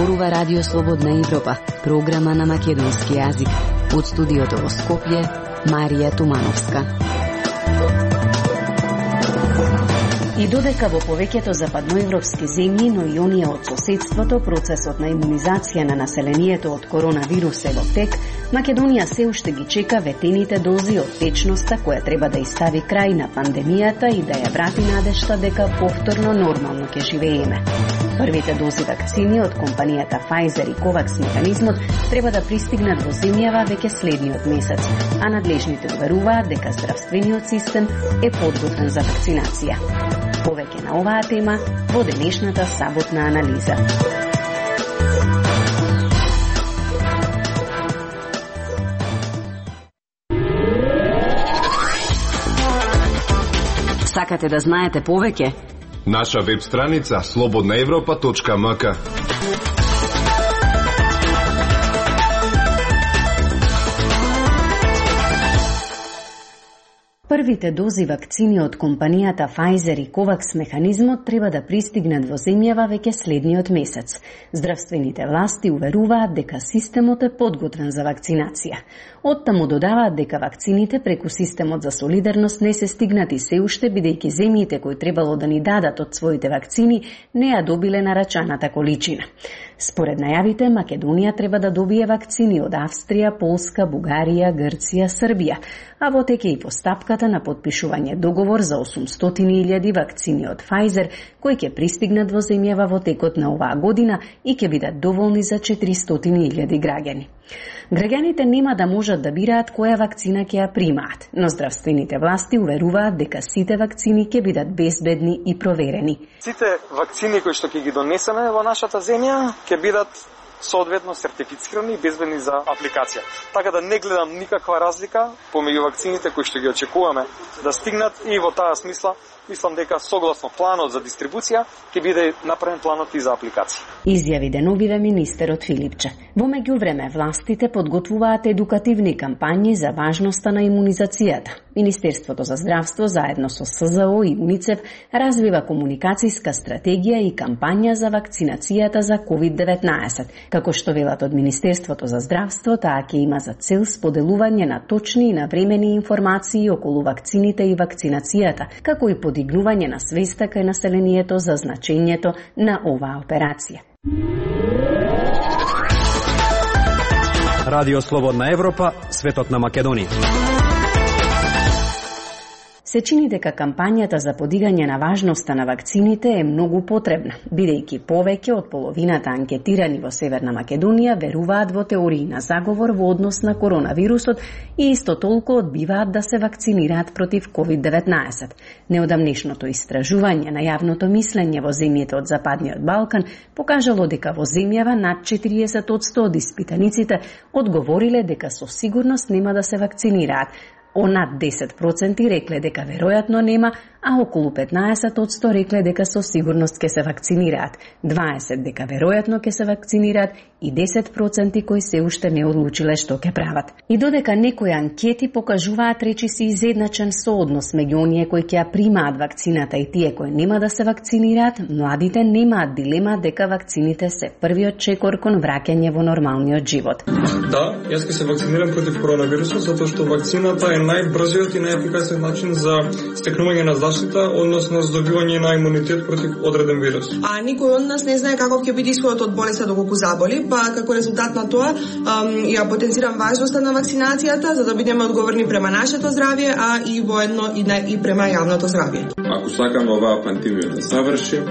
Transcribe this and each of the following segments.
зборува Радио Слободна Европа, програма на македонски јазик. Од студиото во Скопје, Марија Тумановска. И додека во повеќето западноевропски земји, но и оние од соседството, процесот на имунизација на населението од коронавирус е во тек, Македонија се уште ги чека ветените дози од течноста која треба да изстави крај на пандемијата и да ја врати надежта дека повторно нормално ќе живееме. Првите дози вакцини од компанијата Pfizer и COVAX механизмот треба да пристигнат во земјава веќе следниот месец, а надлежните уверуваат дека здравствениот систем е подготвен за вакцинација. Повеќе на оваа тема во денешната саботна анализа. Сакате да знаете повеќе? Наша веб страница slobodnaevropa.mk. Првите дози вакцини од компанијата Pfizer и COVAX механизмот треба да пристигнат во земјава веќе следниот месец. Здравствените власти уверуваат дека системот е подготвен за вакцинација. Оттаму додаваат дека вакцините преку системот за солидарност не се стигнати се уште, бидејќи земјите кои требало да ни дадат од своите вакцини не ја добиле нарачаната количина. Според најавите, Македонија треба да добие вакцини од Австрија, Полска, Бугарија, Грција, Србија, а во тек е и постапката на подпишување договор за 800.000 вакцини од Pfizer, кои ќе пристигнат во земјава во текот на оваа година и ќе бидат доволни за 400.000 граѓани. Граѓаните нема да можат да бираат која вакцина ќе ја примаат, но здравствените власти уверуваат дека сите вакцини ќе бидат безбедни и проверени. Сите вакцини кои што ќе ги донесеме во нашата земја ќе бидат соодветно сертифицирани и безбедни за апликација. Така да не гледам никаква разлика помеѓу вакцините кои што ги очекуваме да стигнат и во таа смисла мислам дека согласно планот за дистрибуција ќе биде направен планот и за апликација. Изјави деновиве министерот Филипче. Во меѓувреме властите подготвуваат едукативни кампањи за важноста на имунизацијата. Министерството за здравство заедно со СЗО и УНИЦЕФ развива комуникацијска стратегија и кампања за вакцинацијата за COVID-19. Како што велат од Министерството за здравство, таа ќе има за цел споделување на точни и навремени информации околу вакцините и вакцинацијата, како и подигнување на свеста кај населението за значењето на оваа операција. Радио Слободна Европа, светот на Македонија. Се чини дека кампањата за подигање на важноста на вакцините е многу потребна, бидејќи повеќе од половината анкетирани во Северна Македонија веруваат во теории на заговор во однос на коронавирусот и исто толку одбиваат да се вакцинираат против COVID-19. Неодамнешното истражување на јавното мислење во земјите од Западниот Балкан покажало дека во земјава над 40% од испитаниците одговориле дека со сигурност нема да се вакцинираат, над 10% рекле дека веројатно нема, а околу 15% рекле дека со сигурност ќе се вакцинираат, 20% дека веројатно ќе се вакцинираат и 10% кои се уште не одлучиле што ќе прават. И додека некои анкети покажуваат речиси изедначен сооднос меѓу оние кои ќе ја примаат вакцината и тие кои нема да се вакцинираат, младите немаат дилема дека вакцините се првиот чекор кон враќање во нормалниот живот. Да, јас ќе се вакцинирам против коронавирусот затоа што вакцината е најбрзиот и најефикасен начин за стекнување на заштита, односно здобивање на имунитет против одреден вирус. А никој од нас не знае каков ќе биде исходот од болеста доколку заболи, па како резултат на тоа ја потенцирам важноста на вакцинацијата за да бидеме одговорни према нашето здравје, а и воедно и према јавното здравје. Ако сакаме оваа пандемија да заврши,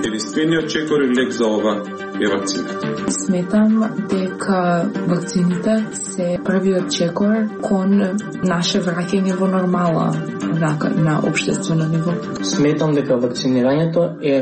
единствениот чекор и лек за ова е вакцината. Сметам дека вакцините се првиот чекор кон наше враќање во нормала на општествено ниво. Сметам дека вакцинирањето е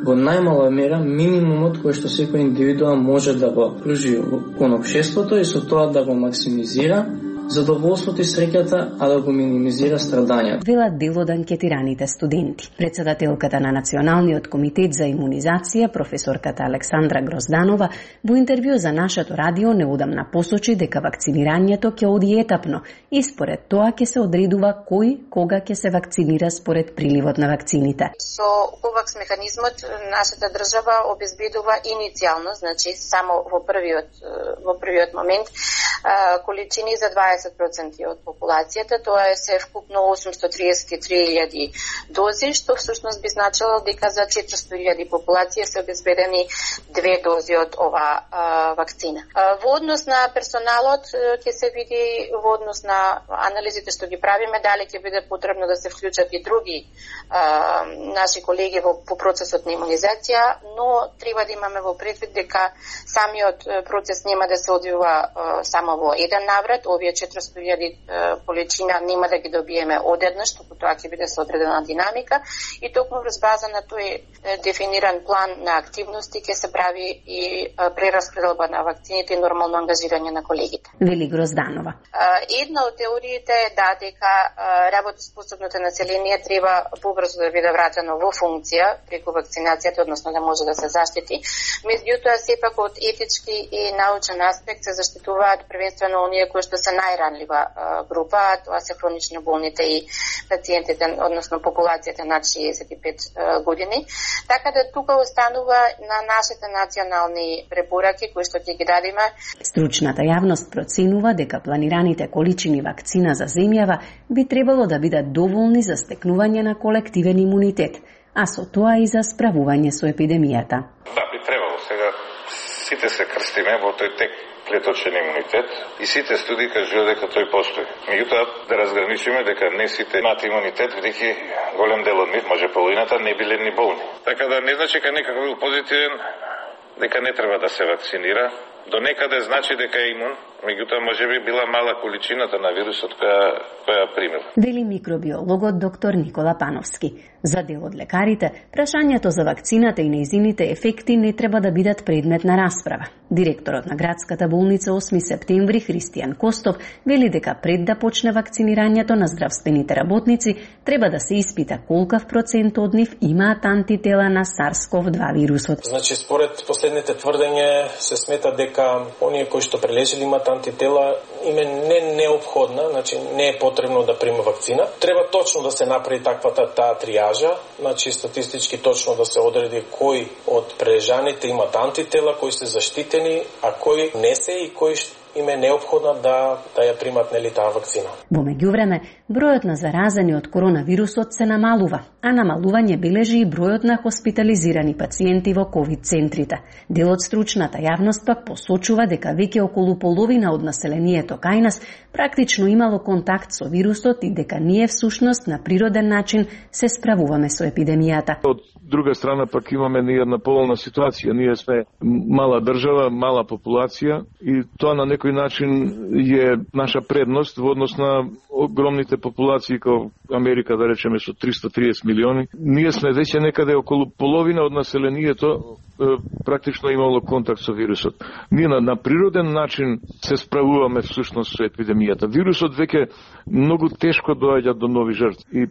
во најмала мера минимумот кој што секој индивидуа може да го пружи кон општеството и со тоа да го максимизира задоволството и среќата, а да го минимизира страдањето. Велат дел од анкетираните студенти. Председателката на Националниот комитет за имунизација, професорката Александра Грозданова, во интервју за нашето радио неодамна посочи дека вакцинирањето ќе оди етапно и според тоа ќе се одредува кој кога ќе се вакцинира според приливот на вакцините. Со ковакс механизмот нашата држава обезбедува иницијално, значи само во првиот момент количини за 20% од популацијата, тоа е се вкупно 833.000 дози, што всушност би значило дека за 400.000 популација се обезбедени 2 дози од оваа вакцина. Во однос на персоналот ќе се види, во однос на анализите што ги правиме, дали ќе биде потребно да се вклучат и други наши колеги во процесот на имунизација, но треба да имаме во предвид дека самиот процес нема да се одвива само во еден наврат. Овие 400.000 количина нема да ги добиеме одеднаш, туку тоа ќе биде со одредена динамика и токму врз база на тој дефиниран план на активности ќе се прави и прераспределба на вакцините и нормално ангажирање на колегите. Вели Грозданова. Една од теориите е дека работоспособното население треба побрзо да биде вратено во функција преку вакцинацијата, односно да може да се заштити. Меѓутоа, сепак од етички и научен аспект се заштитуваат првенствено оние кои што се најранлива група, тоа се хронично болните и пациентите, односно популацијата над 65 години. Така да тука останува на нашите национални препораки кои што ќе ги дадеме. Стручната јавност проценува дека планираните количини вакцина за земјава би требало да бидат доволни за стекнување на колективен имунитет, а со тоа и за справување со епидемијата. Да, би требало. Сега сите се крстиме во тој тек клеточен имунитет и сите студии кажуваат дека тој постои. Меѓутоа да разграничиме дека не сите имаат имунитет, бидејќи голем дел од нив, може половината, не биле ни болни. Така да не значи дека некако бил позитивен, дека не треба да се вакцинира. До некаде значи дека е имун, меѓутоа можеби била мала количината на вирусот која примил. Вели микробиологот доктор Никола Пановски. За дел од лекарите, прашањето за вакцината и нејзините ефекти не треба да бидат предмет на расправа. Директорот на градската болница 8 септември Христијан Костов вели дека пред да почне вакцинирањето на здравствените работници треба да се испита колкав процент од нив имаат антитела на SARS-CoV-2 вирусот. Значи, според последните тврдења се смета дека оние кои што прележели имаат антитела им е неопходна, значи не е потребно да приме вакцина. Треба точно да се направи таа триажа, значи статистички точно да се одреди кои од прележаните имаат антитела, кои се заштитени, а кои не се и кои им е неопходна да ја примат таа вакцина. Во меѓувреме, бројот на заразени од коронавирусот се намалува, а намалување бележи и бројот на хоспитализирани пациенти во ковид центрите. Дел од стручната јавност пак посочува дека веќе околу половина од населението кај нас практично имало контакт со вирусот и дека ние всушност на природен начин се справуваме со епидемијата. Од друга страна пак имаме ние една полна ситуација. Ние сме мала држава, мала популација и тоа на некој начин е наша предност во однос на огромните популации како Америка, да речеме, со 330 милиони. Ние сме веќе некаде околу половина од населението практично имало контакт со вирусот. Ние на природен начин се справуваме всушност со епидемијата. Вирусот веќе многу тешко доаѓа до нови жртви и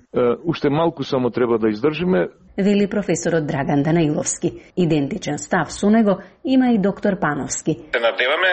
уште малку само треба да издржиме. Вели професорот Драган Данаиловски. Идентичен став со него има и доктор Пановски. Се надеваме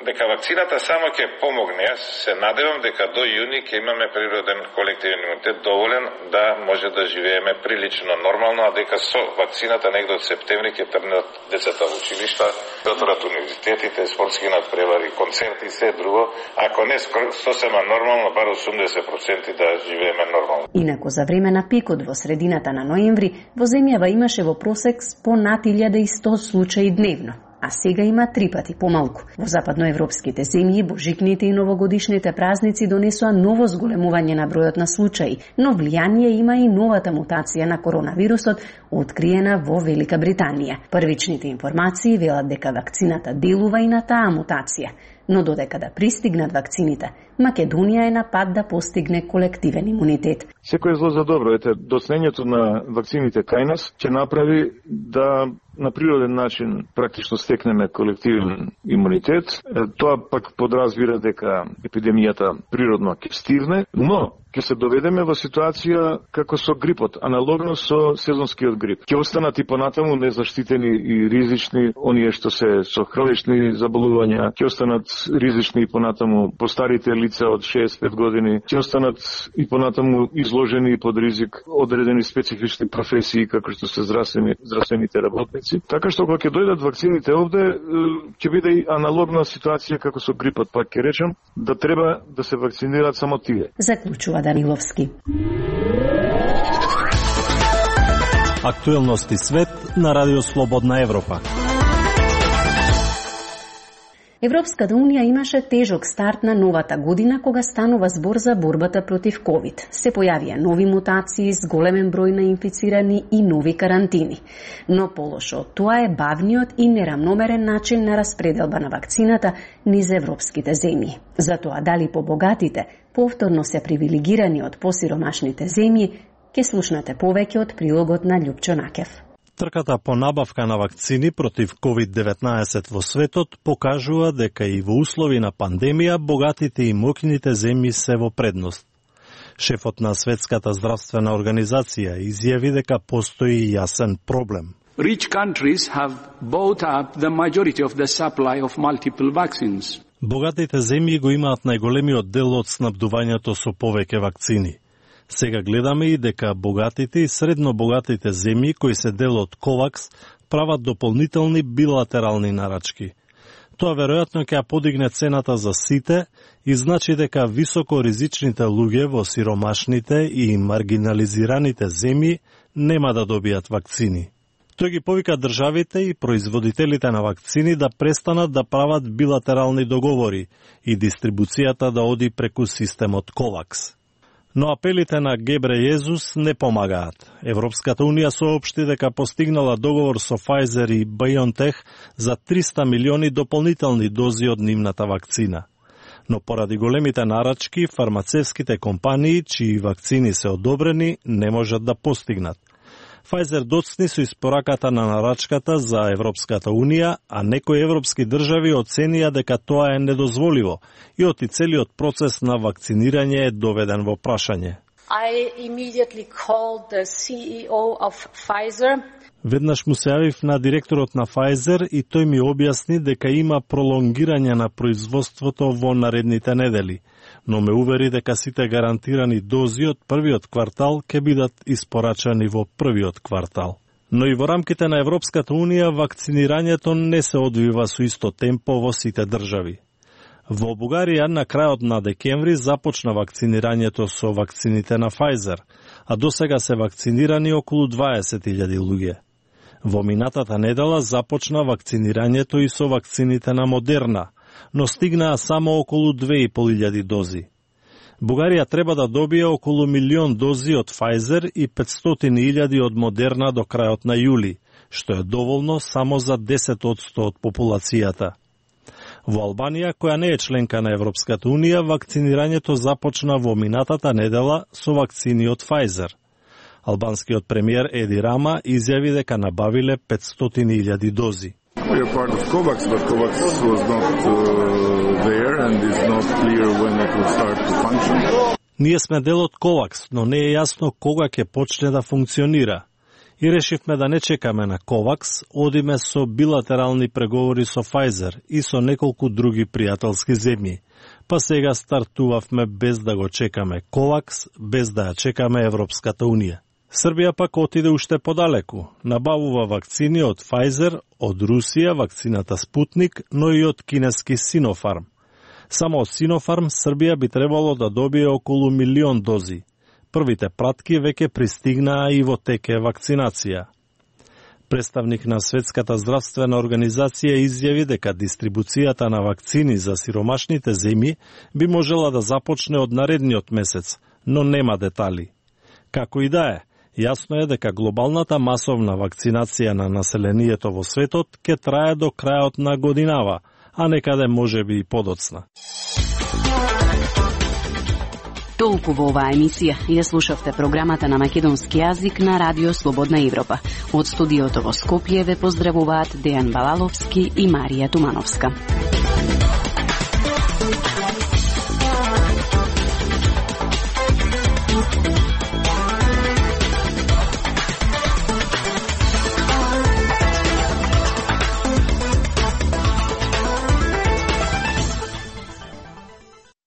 дека вакцината само ќе помогне. Јас се надевам дека до јуни ќе имаме природен колективен имунитет доволен да може да живееме прилично нормално, а дека со вакцината негде од септември ќе тргнат децата во училишта, отворат универзитетите, спортски надпревари, концерти и се друго. Ако не сосема нормално, бар 80% да живееме нормално. Инаку за време на пикот во средината на ноември, во земјава имаше во просек по над 1100 случаи дневно, а сега има 3 пати помалку. Во западноевропските земји божикните и новогодишните празници донесоа ново зголемување на бројот на случаи, но влијание има и новата мутација на коронавирусот, откриена во Велика Британија. Првичните информации велат дека вакцината делува и на таа мутација. но додека да пристигнат вакцините, Македонија е на пат да постигне колективен имунитет. Секој зло за добро. Доцнењето на вакцините кај нас ќе направи да на природен начин практично стекнеме колективен имунитет. Тоа пак подразбира дека епидемијата природно ќе стивне, но ќе се доведеме во ситуација како со грипот, аналогно со сезонскиот грип. Ќе останат и понатаму незаштитени и ризични оние што се со хронични заболувања, ќе останат ризични и понатаму постарите лица од 65 години, ќе останат и понатаму изложени под ризик одредени специфични професии како што се здравствените работници. Така што кога ќе дојдат вакцините овде, ќе биде и аналогна ситуација како со грипот, пак ќе речем, да треба да се вакцинираат само тие. Заклучува Даниловски. Актуелности свет на Радио Слободна Европа. Европската унија имаше тежок старт на новата година кога станува збор за борбата против ковид. Се појавија нови мутации с големен број на инфицирани и нови карантини. Но полошо од тоа е бавниот и неравномерен начин на распределба на вакцината низ европските земји. Затоа дали побогатите повторно се привилегирани од посиромашните земји, ќе слушнете повеќе од прилогот на Љупчо Накев. Трката по набавка на вакцини против COVID-19 во светот покажува дека и во услови на пандемија богатите и моќните земји се во предност. Шефот на Светската здравствена организација изјави дека постои јасен проблем. Rich countries have bought up the majority of the supply of multiple vaccines. Богатите земји го имаат најголемиот дел од снабдувањето со повеќе вакцини. Сега гледаме и дека богатите и средно богатите земји кои се дел од КОВАКС прават дополнителни билатерални нарачки. Тоа веројатно ќе ја подигне цената за сите и значи дека високоризичните луѓе во сиромашните и маргинализираните земји нема да добијат вакцини. Тој ги повика државите и производителите на вакцини да престанат да прават билатерални договори и дистрибуцијата да оди преку системот КОВАКС. Но апелите на Гебрејезус не помагаат. Европската унија соопшти дека постигнала договор со Pfizer и BioNTech за 300 милиони дополнителни дози од нивната вакцина. Но поради големите нарачки, фармацевските компании, чии вакцини се одобрени, не можат да постигнат. Pfizer доцни со испораката на нарачката за Европската унија, а некои европски држави оценија дека тоа е недозволиво и оти целиот процес на вакцинирање е доведен во прашање. I immediately called the CEO of Pfizer. Веднаш му се јавив на директорот на Pfizer и тој ми објасни дека има пролонгирање на производството во наредните недели, но ме увери дека сите гарантирани дози од првиот квартал ќе бидат испорачани во првиот квартал. Но и во рамките на Европската унија вакцинирањето не се одвива со исто темпо во сите држави. Во Бугарија на крајот на декември започна вакцинирањето со вакцините на Pfizer, а досега се вакцинирани околу 20.000 луѓе. Во минатата недела започна вакцинирањето и со вакцините на Модерна, но стигнаа само околу 2.500 дози. Бугарија треба да добие околу 1.000.000 дози од Pfizer и 500.000 од Модерна до крајот на јули, што е доволно само за 10% од популацијата. Во Албанија, која не е членка на Европската унија, вакцинирањето започна во минатата недела со вакцини од Pfizer. Албанскиот премиер Еди Рама изјави дека набавиле 500.000 дози. We are part of COVAX, but COVAX was not there and is not clear when it will start to function. Ние сме дел од COVAX, но не е јасно кога ќе почне да функционира. И решивме да не чекаме на COVAX, одиме со билатерални преговори со Pfizer и со неколку други пријателски земји. Па сега стартувавме без да го чекаме COVAX, без да ја чекаме Европската унија. Србија пак отиде уште подалеку. Набавува вакцини од Pfizer, од Русија вакцината Спутник, но и од кинески Sinopharm. Само од Sinopharm Србија би требало да добие околу 1.000.000 дози. Првите пратки веќе пристигнаа и во теке вакцинација. Представник на Светската здравствена организација изјави дека дистрибуцијата на вакцини за сиромашните земји би можела да започне од наредниот месец, но нема детали. Како и да е, јасно е дека глобалната масовна вакцинација на населението во светот ќе трае до крајот на годинава, а некаде можеби и подоцна. Толку во оваа емисија. Ја слушавте програмата на македонски јазик на Радио Слободна Европа. Од студиото во Скопје ве поздравуваат Дејан Балаловски и Марија Тумановска.